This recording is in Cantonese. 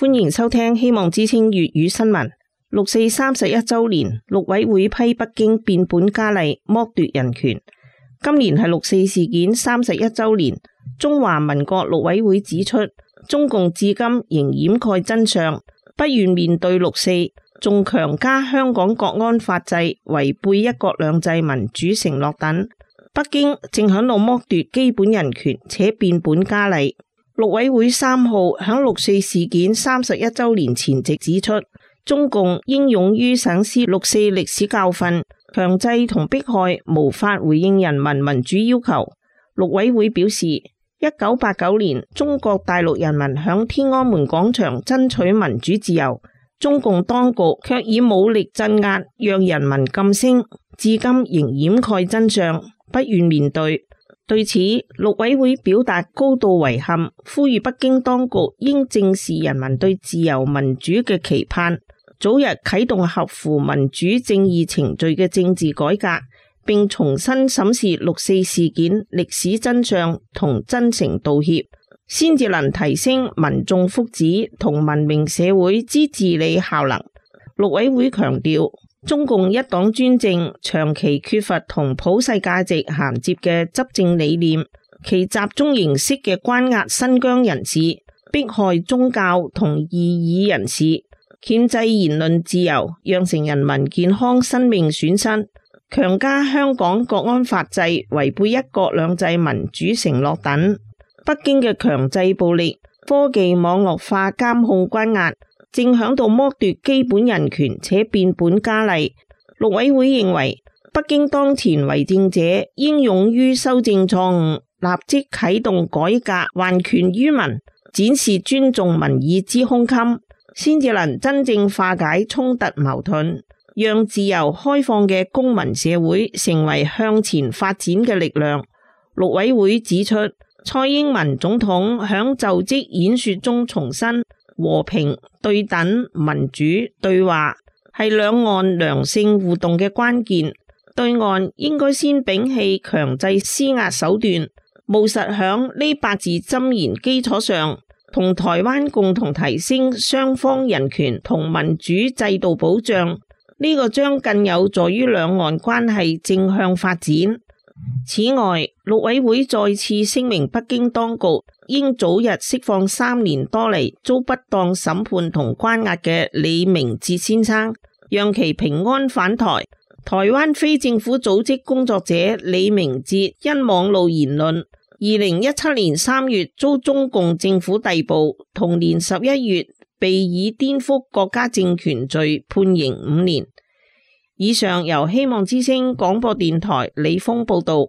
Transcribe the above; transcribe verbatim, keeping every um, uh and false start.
歡迎收聽希望之聲粵語新聞。六四三十一周年，陸委會批北京變本加厲剝奪人權。今年係六四事件三十一周年，中華民國陸委會指出，中共至今仍掩蓋真相，不願面對六四，仲強加香港國安法制，違背一國兩制民主承諾等。北京正響度剝奪基本人權，且變本加厲。陸委會三號響六四事件三十一周年前夕指出，中共應勇於省思六四歷史教訓，強制同迫害無法回應人民民主要求。陸委會表示，一九八九年中國大陸人民響天安門廣場爭取民主自由，中共當局卻以武力鎮壓，讓人民噤聲，至今仍掩蓋真相，不願面對。對此，陸委會表達高度遺憾，呼籲北京當局應正視人民對自由民主嘅期盼，早日啟動合乎民主正義程序嘅政治改革，並重新審視六四事件歷史真相同真誠道歉，先至能提升民眾福祉同文明社會之治理效能。陸委會強調，中共一黨專政長期缺乏同普世價值銜接嘅執政理念，其集中形式嘅關押新疆人士、迫害宗教同異議人士、鉗制言論自由，釀成人民健康生命損失，強加香港國安法制，違背一國兩制民主承諾等。北京嘅強制暴力、科技網絡化監控關押，正響度剝奪基本人權且變本加厲。陸委會認為，北京當前為政者應勇於修正錯誤，立即啟動改革，還權於民，展示尊重民意之胸襟，先至能真正化解衝突矛盾，讓自由開放嘅公民社會成為向前發展嘅力量。陸委會指出，蔡英文總統響就職演說中重申，和平、對等、民主對話係兩岸良性互動嘅關鍵。對岸應該先摒棄強制施壓手段，務實響呢八字箴言基礎上，同台灣共同提升雙方人權同民主制度保障。呢、這個將更有助於兩岸關係正向發展。此外，陸委會再次聲明，北京當局應早日釋放三年多嚟遭不當審判同關押嘅李明哲先生，讓其平安返台。台灣非政府組織工作者李明哲因網路言論，二零一七年三月遭中共政府逮捕，同年十一月被以顛覆國家政權罪判刑五年。以上由希望之聲廣播電台李峰報道。